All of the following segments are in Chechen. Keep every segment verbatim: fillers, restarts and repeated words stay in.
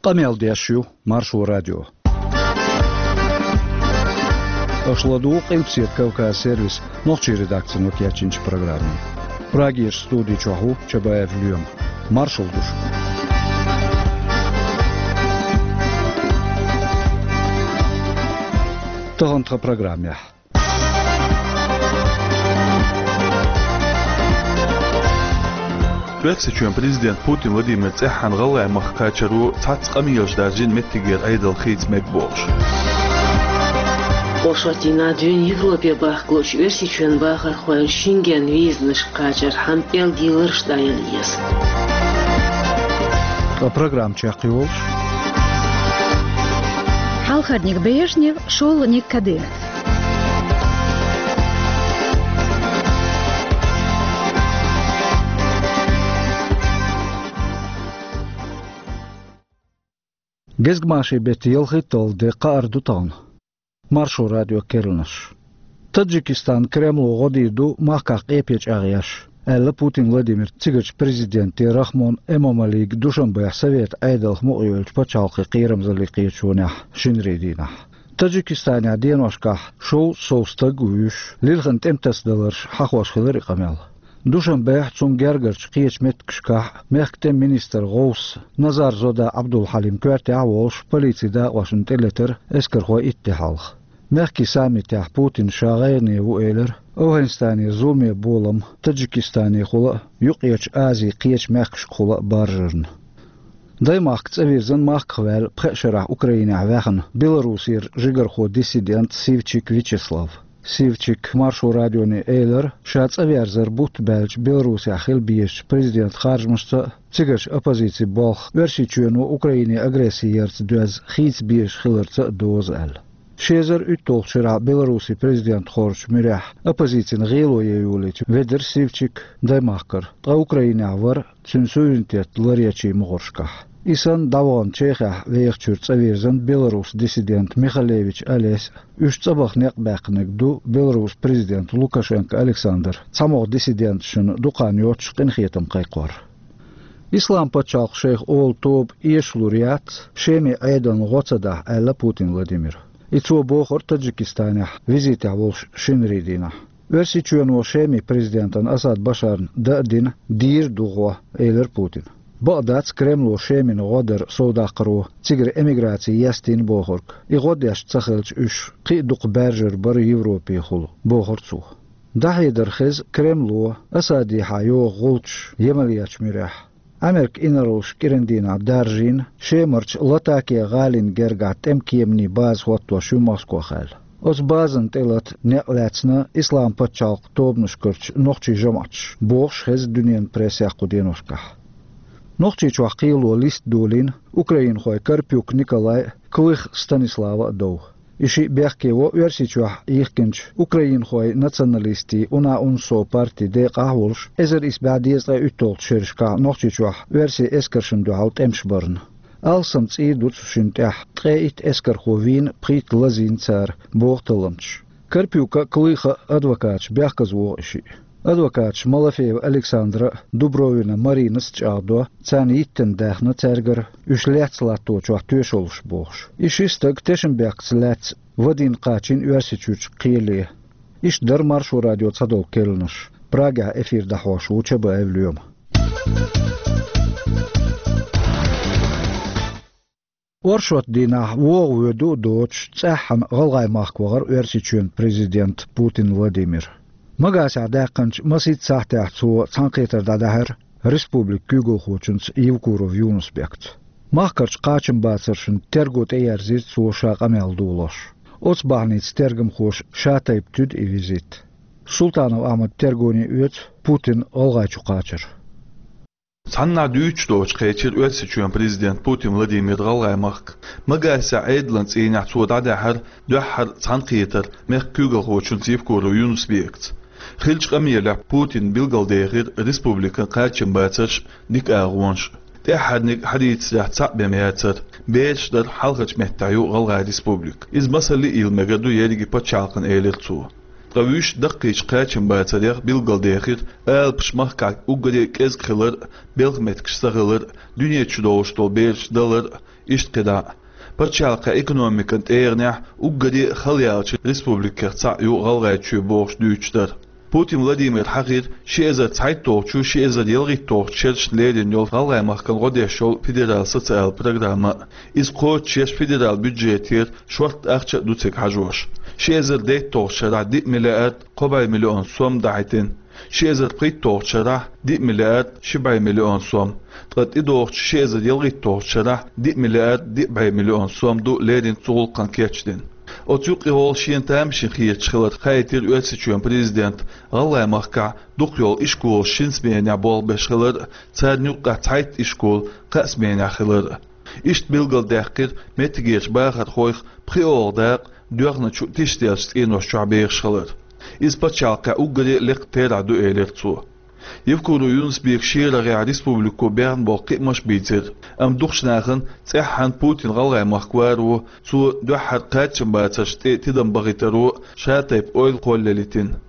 Къамел деш ю Маршо радио. Аша ладугӀу Къилбаседа Кавказ сервисан нохчийн редакцино кечйинчу программе. Прагерчу студи чохь ву Чабаев Лоьма. Маршалла ду шуьга. Тахана тхан программехь. Оьрсийчоьнан президент Путин Владимир цӀеххьана ГӀалгӀай махка кхачаро цхьацца къамелаш даржийна меттигера Ӏедал хийца мега бохуш. Оршот дийнахь дуьйна Европе бахка луучу Оьрсийчоьнан бахархойн Шенген визанашка кхачархьама пӀелг йилларш дӀаяла еза. Ткъа программа чекхйолуш. Хьалхарниг Брежнев, шолгӀаниг Кадыров. Гезгмашин беттан ялхитталгӀа де, кхаара ду тахана. Маршо радион керланаш. Таджикистан Кремло гӀо дийр ду махкахь къепе чӀагӀъеш, аьлла Путин Владимира цигарчу президенте Рахмон Эмомалига Душанбехь Советан Ӏедалх мукъайолчу пачхьалкхийн кхерамзаллин кхеташонехь шинарин дийнахь. Таджикистанехь деношкахь шовзткъа сов стаг а вуьйш, лилхина тӀематасадаларш хьахош хилира и къамел. Душанбехь, цунна гергарчу кхечу меттигашкахь мехкан тӀеман министран гӀовс Назарзода Ӏабдулхьалим коьртехь а волуш, полицин дакъошна тӀелетира эскархой итт де хьалха. Мехкийн саммитехь Путина ша гӀайгӀане ву элира АфгӀанистанера зуламе болам Таджикистанехула а, Юккъерчу Азин кхечу мехкашкахула а баржарна. Даймахка цӀа вирзина махках ваьлла пхеа шарахь Украинехь ваьхна Беларусера жигархо, диссидент Сивчик Вячеслав. Сивчика Маршо радионе элира, ша цӀа верзар бутт баьлча Беларусехь хила безачу президентан харжамашца а, цигарчу оппозицин болх Оьрсийчоьно Украине агресси ярца доьзна хийца безаш хиларца а доза аьлла. Ши эзар уьтталгӀачу шарахь Беларусин президент хоржучу муьрехь оппозицина гӀело ян йолийча ведира Сивчик Даймахкара, ткъа Украинехь вара цуьнан суверенитет ларъечийн могӀаршкахь. И санна, дӀавахана Чехехь вехачуьра цӀа вирзина Беларусин диссидент Михалевич Олесь а, уьш цӀа баха некъ баьккхинарг ду Беларусин президент Лукашенко Александр цхьамогӀа диссиденташна дукха хан йоццуш къинхетам кхайкхор. Ислам-пачхьалкх шайх олу тоба эшалур яц, Шеман Ӏедална гӀо ца дахь, аьлла Путин Владимира. И цо бохура Таджикистанехь визитехь волуш шинарин дийнахь. Оьрсийчоьно Шеман президентана Асад Башарна дан а дина, дийр а ду гӀо, элира Путина. Бакъ дац, Кремло Шемана гӀо дар совдаккхаро цигара эмиграци естийна бохург. И гӀо деш ца хилча, уьш кхин а дукха баьржар бара Европехула, бохура цо. ДӀахьедар хеза Кремло Асадехьа йогӀу гӀулчаш Ямалечу муьрехь. Америкин инарлаш кӀиран дийнахь даржийна Шемарчу Латакия гӀалина гергахь тӀеман кеманийн база хӀоттош ю Москва аьлла. Оцу базана тӀелата некъ лаьцна Ислам-пачхьалкх тобанашкарчу нохчийн жамӀаташ, бохуш хеза дуьненан прессехь кху деношкахь. Нохчийчохь кхело листа долийна украинхой Карпюк Николай а, Клых Станислава а дов. И шиъ бехке во Оьрсийчохь йихкинчу украинхойн националистийн УНА-УНСО партин декъахь а волуш, эзар исс бӀе дезткъе уьтталгӀачу шерашкахь Нохчийчохь оьрсийн эскаршна дуьхьал тӀемаш барна. Алсам цӀий ду цу шинна тӀехь, ткъе итт эскархо вийна, пхийтта лазийна цара, боху талламчаша. Карпюка а, Клыха а адвокаташа бехказвогӀу и шиъ. Адвокаташа Малафеева Александра а, Дубровина Маринас а чӀагӀдо, царна йиттина даьхна цаьргара, уьш лаьцна латточохь тоьшаллаш бохуш. И ши стаг тешнабехкаца лаьцна вадийна кхачийна Оьрсийчуьрчу кхеле. Иштта дара Маршо радион цхьадолу керланаш. Прагехь эфир дӀахьош ву Чабаев Лоьма. Оршот дийнахь вогӀу-воьду а доцуш, цӀеххьана ГӀалгӀай махка вахара Оьрсийчоьнан президент Путин Владимир. Магасехь даьккхинчу масийтта сахьтехь цо цхьаьнакхетар дӀадаьхьира республикан куьйгалхочуьнца Евкуров Юнус-Бекца. Махкарчу кхачамбацаршна терго тӀеерзийра цо ша къамел долош. Оцу бахьаница тергамхоша шатайпа туьду и визит. Султанов Ахьмада тергоне оьцу Путин ГӀалгӀайчу кхачар. Цхьаннахьа дуьйцуш доцуш кхечира Оьрсийчоьнан президент Путин Владимир ГӀалгӀай махка. Магасехь Ӏедалан цӀийнехь цо дӀадаьхьира дуьххьара цхьаьнакхетар мехкан куьйгалхочуьнца Евкуров Юнус-Бекца. Хиллачу къамелехь Путина билгалдехира республикан кхачамбацарш, дика агӀонаш. ТӀаьххьарниг хьадийцарехь цхьаъ бен яцара, бераш дар хьалхарчу меттехь ю ГӀалгӀай республика. Иза масалле а йила мегар ду ерриге пачхьалкхана, элира цо. Ткъа вуьш даккхийчу кхачамбацарех билгалдехира алапаш махкахь уггаре а кӀезиг хилар, белхан меттигаш ца хилар, дуьнен чу долуш долу бераш далар, иштта кхидӀа а. Пачхьалкхан экономикан тӀегӀанехь уггаре а хала яьллачу республикех цхьаъ ю ГӀалгӀайчоь бохуш дуьйцуш дар. Путин Владимира хьахийра ши эзар цхьайтталгӀачу, ши эзар ялхитталгӀачу шерашна лерина йолу ГӀалгӀай махкана гӀо деш йолу федерал социал программа. Иза кхочушъеш федерал бюджетера шортта ахча а ду цига хьажош. Ши эзар дейтталгӀачу шарахь диъ миллиард кхо бӀе миллион сом дахьийтина, ши эзар пхийтталгӀачу шарахь диъ миллиард ши бӀе миллион сом, ткъа тӀедогӀучу ши эзар ялхитталгӀачу шарахь диъ миллиард диъ бӀе миллион сом ду леррина цу гӀуллакхана кечдина. Оцу юккъехула шена тамашийна хеташ хилар хаийтира Оьрсийчоьнан президента ГӀалгӀай махкахь дукха йолу ишколаш шина сменехь болх беш хилар а, царна юккъехь цхьайтта ишкол кхаа сменехь хилар а. Иштта билгалдаьккхира меттигерчу бахархойх пхоьалгӀа дакъа доьхначу тишделлачу цӀенош чохь бехаш хилар. Иза пачхьалкхехь уггаре а лекха терахь ду, элира цо. Евкуров Юнус-Бека шен рагӀехь республико бехна болу кхиамаш а бийцира, амма дукхачу нахана цӀеххьана Путин ГӀалгӀай махка варо, цо дуьххьара кхачамбацаршна тӀе тидам бахийтаро ша тайпа ойла кхоллаялийтина.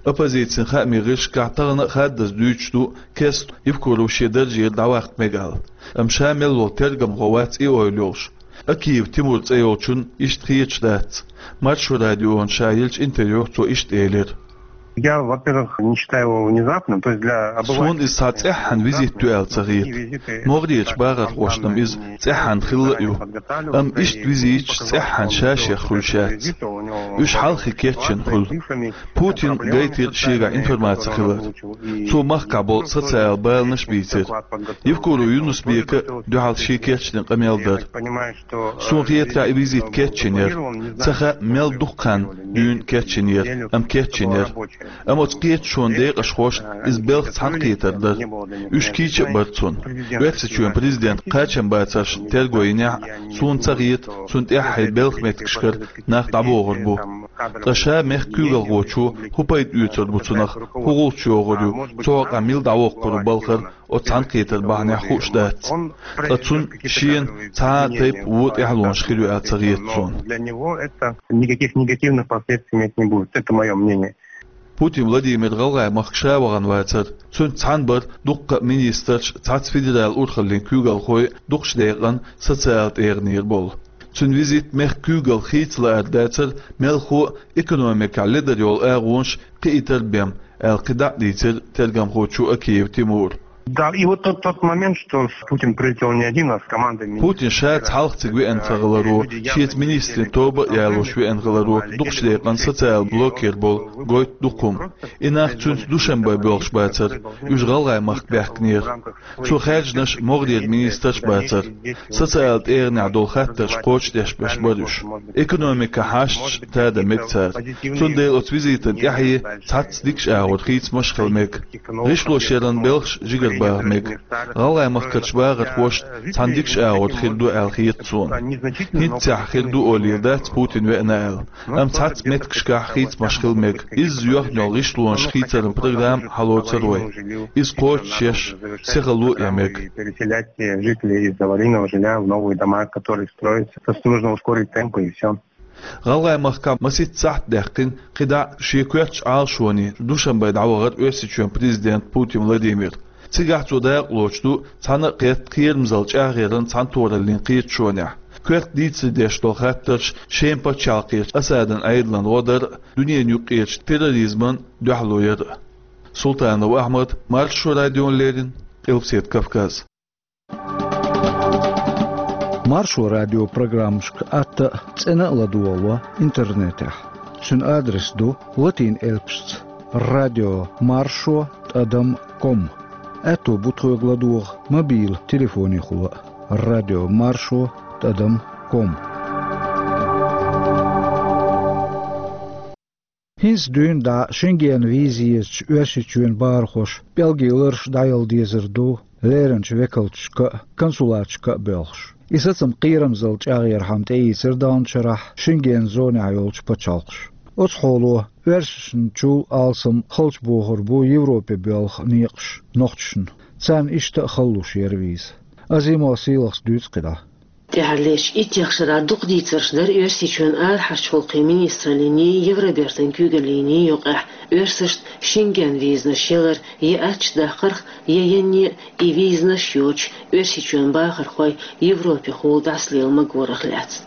Оппозицин хаамийн гӀирсашкахь тахана а хаддаза дуьйцуш ду Кеслер Евкуров шен даржера дӀаваккха мега аьлла. Амма ша мел волу тергамхо вац и ойла йолуш. Акиев Тимур цӀе йолчунна иштта хеташ дац. Маршо радиона ша еллачу интервьюхь цо иштта элира. Я, во-первых, не считаю его внезапным, то есть для обывателя. Суна иза цхьа цӀеххьана визит ю аьлла ца хета. МогӀарерчу бахархошна-м иза цӀеххьана хилла а ю. Амма иштта визиташ цӀеххьана ша-шех хуьлуш яц. Уьш хьалххе кечйина хуьлу. Путина гайтира шегахь информаци хилар. Цо махкахь болу социал баланаш а бийцира. Евкуров Юнус-Бека дуьхьал шен кечдина къамел дара. Суна хетарехь, и визит кечйина яра. Ца хаьа, мел дукха хан дуьйна кечйина яра, амма кечйина яра. Амма оцу кхеташонан декъашхошна иза белхан цхьаьнакхетар дара. Уьш кийча а бара цунна. Оьрсийчоьнан президент кхачамбацаршна терго йинехь а, суна ца хета, цунна тӀаьххье белхан меттигашкара нах дӀабохур бу. Ткъа ша мехкан куьйгалхочо хӀун пайда оьцур бу цунах, хӀун гӀулч йогӀур ю, цу хьокъехь мила дӀавоккхур ву балхара, оцу цхьаьнакхетар бахьанехь хууш дац. Ткъа цунна шена цхьа а тайпа вон тӀаьхьалонаш хир ю аьлла ца хета суна. Для него это никаких негативных последствий иметь не будет. Это моё мнение. Путин Владимир ГӀалгӀай махка ша вахана вацара. Цуьнца цхьаьна бара дуккха а министрш, цхьацца федералан урхаллин куьйгалхой, дукхачу декъана социал тӀегӀанера болу. Цуьнан визит мехкан куьйгалх хийца лаар дацара, мелхо а экономикехь ледара йолу агӀонаш кхиийтар бен, аьлла кхидӀа а дийцира тергамхочо Акиев Тимура. Да, и вот тот, тот момент, что Путин прилетел не один, а с командой министров. Путин ша цхьалха цига веана ца хиларо, шеца министрийн тоба а ялош веана хиларо, дукхачу декъана социал блокера болу гойту дукха хӀума. И нах цуьнца Душанбе боьлхуш бацара, уьш ГӀалгӀай махка баьхкинера. Цо хаьржинарш могӀарера министраш бацара. Социал тӀегӀанехь долу хаттарш кхочушдеш беш бара уьш. Экономикан хьашташ тада мега цара. Цундела оцу визитан тӀаьхье цхьацца дикачу агӀор хийцамаш хила мега. ГӀишлошъяран белхаш жигарбаха мега. ГӀалгӀай махкарчу бахархошна цхьана дикачу агӀор хир ду аьлла хета суна. ХӀинццехь хир ду олийла дац Путин веана аьлла. Амма цхьацца меттигашкахь хийцамаш хила мега. Изза йоьхна йолу гӀишлонаш хийцаран программа хьалоцур вай. Иза кхочушъеш, сихало а ян мега. Переселять жителей из аварийного жилья в новые дома, которые строятся. Просто нужно ускорить темпы и всё. ГӀалгӀай махкахь масийтта сахьт даьккхина, кхидӀа а шен коьртачу Ӏалашоне Душанбе дӀавахара Оьрсийчоьнан президент Путин Владимир. Цигахь цо дакъалоцуш ду цхьана а кхетта кхерамзалла чӀагӀъяран цхьаьнатохараллин кхеташонехь. Коьрта дийцаре деш долу хаттарш Шеман пачхьалкхерчу Асадан Ӏедалан гӀо дар а, дуьненан юккъерчу терроризмана дуьхьало яр а. Султанов Ахьмад, Маршо радиона леррина, Къилбаседа Кавказ. Маршо радион программашка атта а, цӀена а ладогӀало интернетехь. Цуьнан адрес ду латин элпашца: радио маршо тӀадам ком. Аьтто бу тхоьга ладогӀа мобил телефонехула а: радио маршо тӀадам ком. ХӀинца дуьйна дӀа Шенгенан виза езачу Оьрсийчоьнан бахархоша пӀелгийн лараш дӀаяла дезар ду леринчу векалташка а, консулаташка а боьлхуш. И сацам кхерамзалла чӀагӀъярхьама тӀеийцира далначу шарахь Шенгенан зонехь йолчу пачхьалкхаша. Оцу хьоло оьрсашначул алсам халчабохур бу Европе боьлху некъаш нохчашна. Царна иштта а хала луш яра виза. Азимов Сийлахьс дуьйцу кхидӀа. ТӀехьарлерчу иттех шарахь дукха дийцарш дара Оьрсийчоьнан арахьарчу гӀуллакхийн министраллиний, Евробертан куьйгаллиний юкъахь оьрсашна Шенген визанаш ялар я аттачу даккхарх, я янне а и визанаш йоцуш Оьрсийчоьнан бахархой Европехула дӀасалела магорах лаьцна.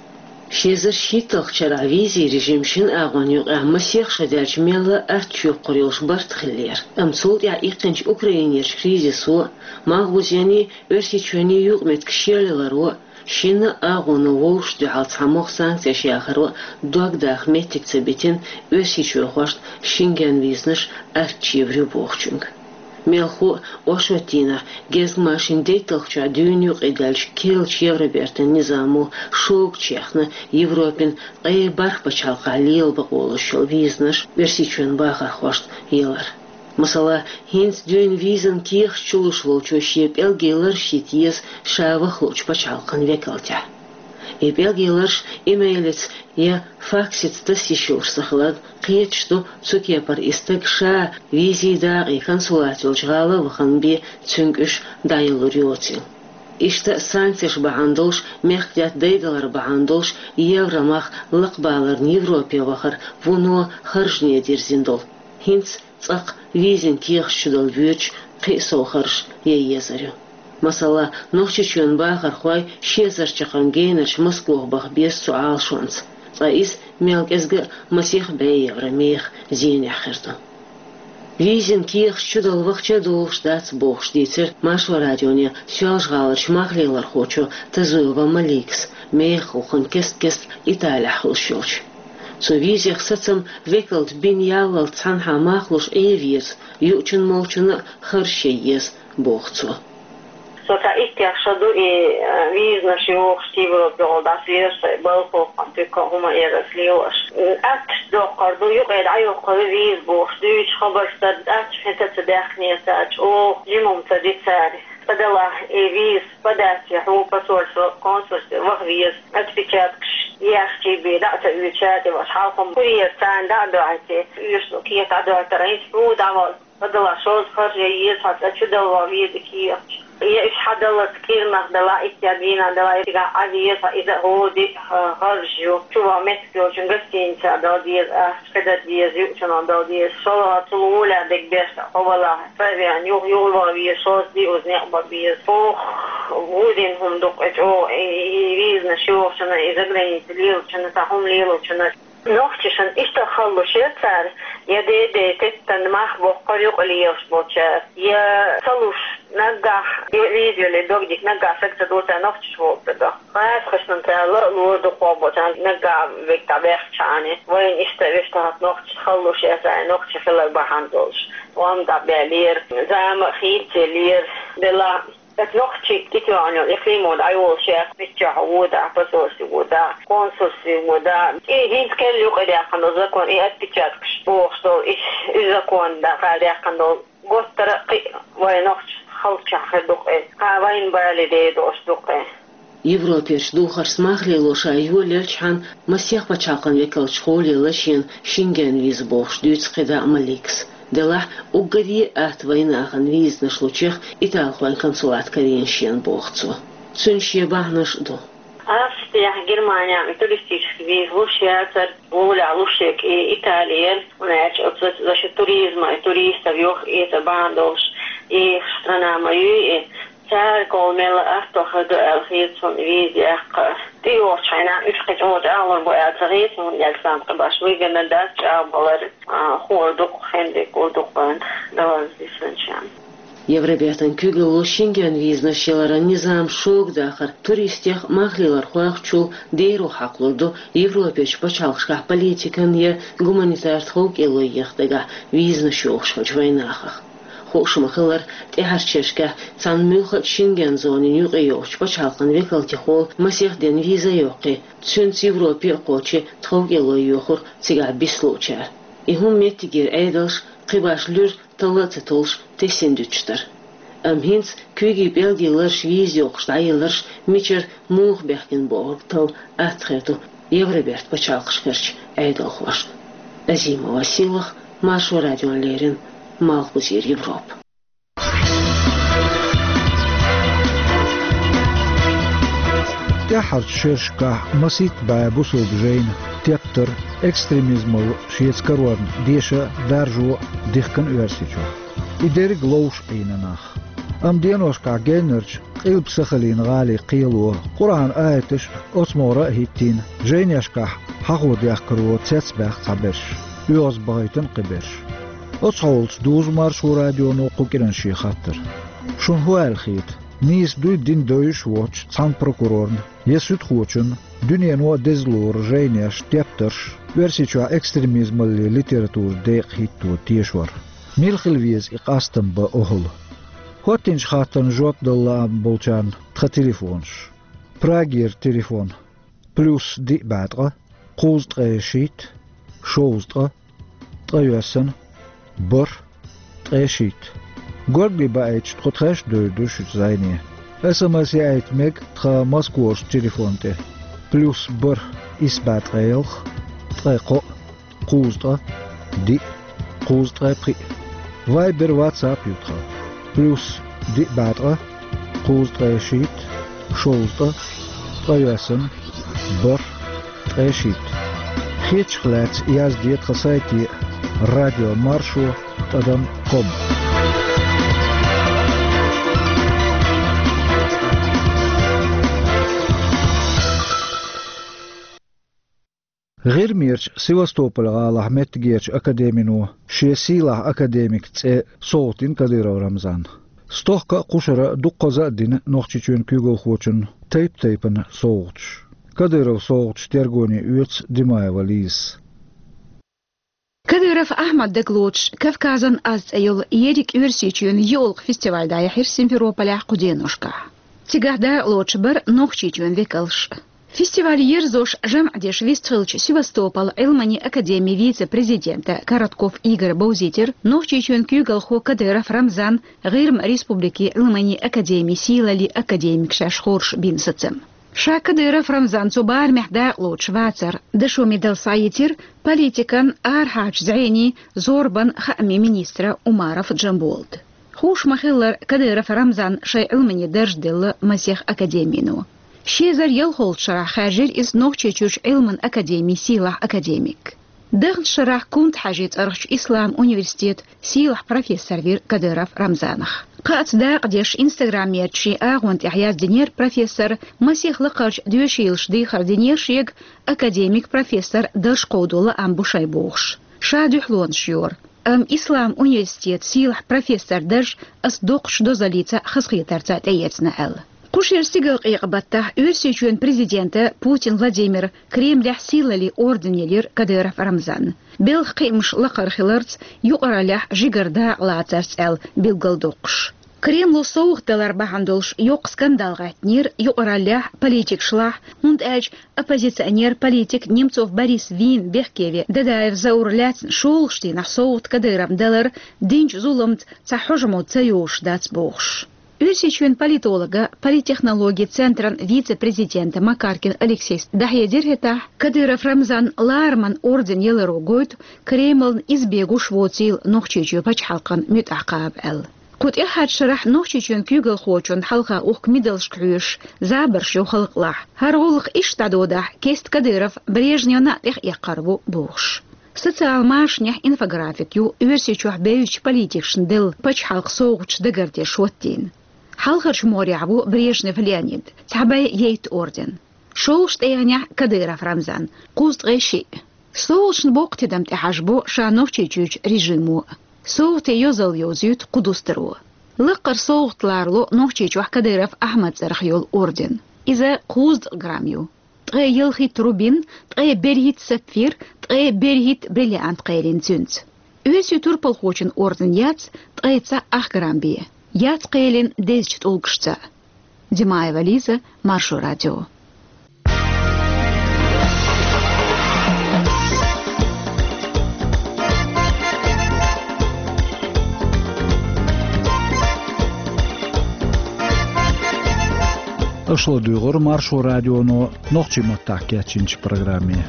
Ши эзар шийтталгӀачу шарахь визийн режим шина агӀонна юкъахь масех шо даьлча мелла а аттачу йоккхур йолуш барт хиллера, амма цул тӀаьхьа иккхинчу Украинерчу кризисо а, малхбузений, Оьрсийчоьний юкъаметтигаш шелъяларо а, шина а агӀоно вовшашна дуьхьал цхьамогӀа санкцеш яхаро а дог даха меттиг ца битина оьрсийчоьхошна Шенген визанаш аттачу евр ю бохучуьнга. Мелхо а, оршотан дийнахь гезгмашин дейтталгӀачохь дуьйна юкъадаьллачу керлачу Евробертан низамо шогачу яхна Европин ткъе бархӀ пачхьалкхехь лела бакъо луш йолу визанаш Оьрсийчоьнан бахархошна ялар. Масала, хӀинца дуьйна визан кехаташ чулуш волчо шен пӀелгийн лараш йита еза ша ваха луучу пачхьалкхан векалтехь. И пӀелгийн лараш имейлица я факсица таса йиш йолуш ца хиларна, кхеташ ду, цу кепара и стаг ша визийн дакъа я консулат йолчу гӀала а вахана бен цуьнга уьш дӀаялур йоцийла. Иштта санкцеш бахьана долуш, мехкдаьтта дайдалар бахьана долуш, евромах лакхабаларна Европе вахар вуно харжане дирзина долу. ХӀинца цкъа-кх визин кехаташ чудала воьдуш кхин а сов харж ян езар ю. Масала, Нохчийчоьнан бахархой ши эзар чаккхарма генарчу Москох баха беза цу Ӏалашонца, ткъа иза мел кӀезга а масех бӀе евро меха зенехь хир ду. Визин кехаташ чудала вахча а долуш дац бохуш дийцира Маршо радионе Соьлжа-ГӀаларчу мах лелорхочо Тазуева Маликас, мехах гӀуллакхна кест-кеста Италехь хуьлуш йолчу. Цу визех сацам векалта бина яллалц цхьанхьа мах луш Ӏен веза, юучунна-молчунна а харж ян еза, боху цо. Со цхьа иттех шо ду и, э, визанаш йохуш, Европехула дӀасаелаш, сайн балхахо а, туька а, хӀума а яра ас лелош. М, аттачу доккхур ду, юкъе дӀайоккхур ю виза бохуш, дуьйцуш хабарш дара, аттачу хӀинца а ца даьхкинера, чӀогӀа жимма ца ди цара. Цкъа делахь, и виза подать ян хьуна посольство, консульстве ваха веза, отпечаткаш яьхча бен дӀа а ца оьцуш, цара тӀе вахча хьалха-м курьер царна дӀа а доьхьийтий, оьшуш ду кехат дӀадоьттар, хӀинца хьуна дӀавала. Цкъа делахь, шозза харж ян еза хьан цкъа чудала ван веза кехаташ. Я уьш хьан даллалц кӀирнах делахь, иттех дийнахь делахь, я цигахь Ӏан веза хьан, иза а хӀора де а харж ю. Чу ван меттиг йолчун гостиницехь дала деза ахча, кхидӀа деза, юучунах дала деза. ШолгӀа цул гӀоле дерг беш, хьо валахь, цхьа а веана, юха юхаван веза, шозза де уза некъ бан беза. Ох, вуьйдина хӀума ду-кх и чӀогӀа, и, и визанаш йохучунна, и заграница лелочунна, цхьа хӀума лелочунна. Нохчашна иштта хала луш яра цара, я дей-дей теттина мах боккхура юкъа лелаш болчара, я ца луш наггахь, я виза йолий дог дика наггахь сага ца дора цара нохчаш бохург ца до. ГӀазкхашна цара ла а лора дукхох болчарна наггахь верг дӀабаьхча хьуна. Вайна иштта вешта хӀотта нохчашна хала луш яра цара, нохча хилар бахьана долуш. Ӏомма дӀабаьллера, зама а хийцаеллера, делахь Аса нохчий кхетош йолу и кхин а мо дӀайолуш яц, миччахь вон дӀа, посольстве вон дӀа, консульстве вон дӀа. И хӀинца кхел юкъадаьккхина долу закон, и отпечаткаш бохуш долу, и, и закон дӀа кхаьрдаьккхина долу. Готтара а кхин а вайн нохчашна хала чохь хир ду-кх и. Кхин а вайна бале дер долуш ду-кх и. Европерчу духарца мах лело ша йолаелчхьана, масех пачхьалкхан векалчу гӀоле лачийна Шенген виза бохуш дуьйцу кхидӀа а Маликас. Делахь, уггаре а атта вайнахана визанаш лучех италхойн консулат карийна шена, боху цо. Цуьнан шен бахьанаш а ду. Австрехь, Германехь туристический виза луш яцара, вовлахь луш ерг и Итали яра, хӀунда аьлча оцу за-, за счёт туризма, и туристов юха эца бахьана долуш, и страна ма юй и. Цара кхол мелла а атто хир ду аьлла хета суна виза яккха. ТӀейогӀучу хенахь уьш кхин чӀогӀа чӀагӀлур бу аьлла ца хета суна, хӀунда аьлча сан кхин баш вигана дац чӀагӀбалар, а, хӀора дукха, хендерг гур дукха вайна далаза дисанчарна. Евробертан куьйгалло Шенген визанаш яларан низам шога дахар туристех а, мах лелорхойх а чул деро хьакхалур ду Европерчу пачхьалкхашкахь политикан я гуманитар тховкӀело еха дагахь визанаш йохуш хиллачу вайнахах. Хууш ма-хиллара, тӀаьхьарчу шерашкахь цхьана муьлхха а Шенген зонин юкъайогӀучу пачхьалкхан векалтехула масех ден виза а йоккхий, цуьнца Европе а кхочий тховкӀело йохура цигахь бицлуучара. И хӀума меттигера Ӏедалш кхин баш луьра талла а ца толлуш тесина дуьтуш дара. Амма хӀинца куьйгийн пӀелгийн лараш виза йохуш дӀаяларш мичара муха баьхкина бохург талла атта хир ду Евроберта пачхьалкхашкарчу Ӏедалхошна. Азимова Сийлаха, Маршо радиона леррина, Малхбузера Европа. ТӀаьххьарчу шерашкахь масийтта бӀе бусалба жайна тептар, экстремизмалла шеца карорна деша а, даржо а дихкина Оьрсийчохь. И дерриг ловш Ӏийна нах. Амма деношкахь геннарчу Къилба-Сахалин гӀалин кхело Къуръан аяташ а, оцу могӀара а хӀиттийна, жайнешкахь хьахо дехкаро цецбаьхна цхьаберш, оьгӀазбахийтина кхиберш. Оцу хьолаца дузу Маршо радионо кху кӀиран шен хаттар. Шуна хӀун аьлла хета? Нийса дуй дин девзаш воцучу цхьана прокурорна я суьдхочунна дуьнено а деза лору жайнеш, тептарш, Оьрсийчохь экстремизмаллин литературан декъа хӀитто тешор? Мила хила веза и къастам бан охӀла? ХӀоттинчу хаттарна жоп дала лаам болчарна тхан телефонаш. Прагера телефон: плюс диъ бӀе ткъа, кхузткъе шийтта, шовзткъа, ткъайоьсна, бархӀ, ткъе шийтта. Горгали баийтича, тхо тхаьш а девр ду шуьца зӀене. СМС яийта мега тхан Москварчу телефон тӀе: плюс бархӀ, исс бӀе ткъе ялх, ткъе кхоъ, кхузткъа, диъ, кхузткъе пхиъ. Вайбер, ватсап ю тхан: плюс диъ бӀе ткъа, кхузткъе шийтта, шовзткъа, ткъайоьсна, бархӀ, ткъе шийтта. Хетачух лаьцна язде тхан сайте: радио маршо тӀадам ком. ГӀирмерчу Севастополь-гӀалахь меттигерчу академино шен сийлахь академик цӀе совгӀатдина Кадыров Рамзанна. Стохка а, кхушара а дуккхаза а дина Нохчийчоьнан куьйгалхочунна тайп-тайпана совгӀаташ. Кадыровн совгӀаташ тергоне оьцу Димаева Лизас. Кадыров Ахьмадан дагалоцуш, «Кавказан аз» цӀе йолу ерриг Оьрсийчоьнан йоьалгӀа фестиваль дӀаяьхьира Симферополехь кху деношкахь. Цигахь дакъалоцуш бара Нохчийчоьнан векалш а. Фестиваль ерзош, жамӀ деш вистхиллачу Севастополь Ӏилманийн академин вице-президента Коротков Игоря бовзийтира Нохчийчоьнан куьйгалхо Кадыров Рамзан ГӀирма республикин Ӏилманийн академин сийлаллин академик шаьш хоржуш бина сацам. Ша Кадыров Рамзан цу барамехь дакъалоцуш вацар дашо медаль схьаийцира политикан, арахьарчу зӀенийн, зорбан, хаамийн министра Умаров Джамболата. Хууш ма-хиллара, Кадыров Рамзанна шайн Ӏилманийн дарж делла масех академино. Ши эзар ялхолгӀачу шарахь хаьржира иза Нохчийчуьрчу Ӏилманан академин сийлахь академик. Даханчу шарахь Кунта-Хьаьжин цӀарахчу ислам университетан сийлахь профессор вира Кадыров Рамзанах. Кхаъца дакъа деш, Instagram-ерчу шен агӀон тӀехь яздинера профессора, масех лакхарчу доьшийлаша дехар динера шега, академик, профессор дарж кховдо лаам бу шайн бохуш. Ша дуьхьалонаш йора. Амма ислам университетан сийлахь профессоран дарж ас доккхачу дозаллица а, хазахетарца а тӀеэцна аьлла. Кху шеран стигалкъекъа баттахь Оьрсийчоьнан президента Путин Владимира Кремлехь сийлаллин орден елира Кадыров Рамзанна, белхан кхиамаш лакхара хиларца, юкъараллехь жигара дакъа лацарца аьлла билгалдоккхуш. Кремло совгӀат далар бахьана долуш йоккха скандал гӀаьттинера юкъараллехь, политикашлахь, хӀунда аьлча оппозиционер, политик Немцов Борис вийна бехке веа Дадаев Заура лаьцна шолгӀачу дийнахь совгӀат Кадыровна далар динчу зуламца цхьа хьожа мотт ца йолуш дац бохуш. Оьрсийчоьнан политологан, политтехнологийн центран вице-президента Макаркин Алексейс дӀахьедира хӀетахь, Кадыров Рамзанна лараман орден яларо гойту Кремлна иза бегуш воцийла Нохчийчоь пачхьалкхан муьтӀахь кхаба аьлла. Кху тӀаьххьарчу шарахь Нохчийчоьнан куьйгалхочунна хьалха ухку медалшка хьоьжуш забарш йо халкъалахь. ХӀара гӀуллакх иштта дӀадодахь, кеста Кадыров Брежневна а тӀехъекхар ву бохуш. Социал машанехь инфографик ю Оьрсийчохь бевзачу политикашна делла пачхьалкхан совгӀаташ дагардеш хӀоттийна. Хьалхарчу могӀарехь ву Брежнев Леонид, цхьа бӀе ейтта орден. ШолгӀачу тӀегӀанехь Кадыров Рамзан, кхузткъе шиъ. СовгӀаташна боккха тидам тӀехьажабо ша Нохчийчуьрчу режимо. СовгӀатийн йозалла йовзуьйту кху дустаро. Лаккхара совгӀат ларало Нохчийчохь Кадыров Ахьмадан цӀарах йолу орден. Иза кхузткъа грамм ю. Ткъе ялхитта рубин, ткъе берхӀитта сапфир, ткъе берхӀитта бриллиант кхелина цуьнца. Оьрсийн турпалхочун орден яц ткъе цхьаъ ах грамм бен. Яц кхелина дезачу тӀулгашца. Димаева Лиза, Маршо радио. Аша ладуьйгӀира Маршо радионо нохчийн маттахь кечйинчу программе.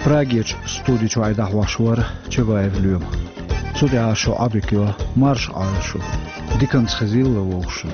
Прагерчу студи чуьра дӀахьош вара Чабаев Лоьма. Цу тӀехь шун Ӏодика йо, марша Ӏойла шу. Диканца хезийла вовшашна.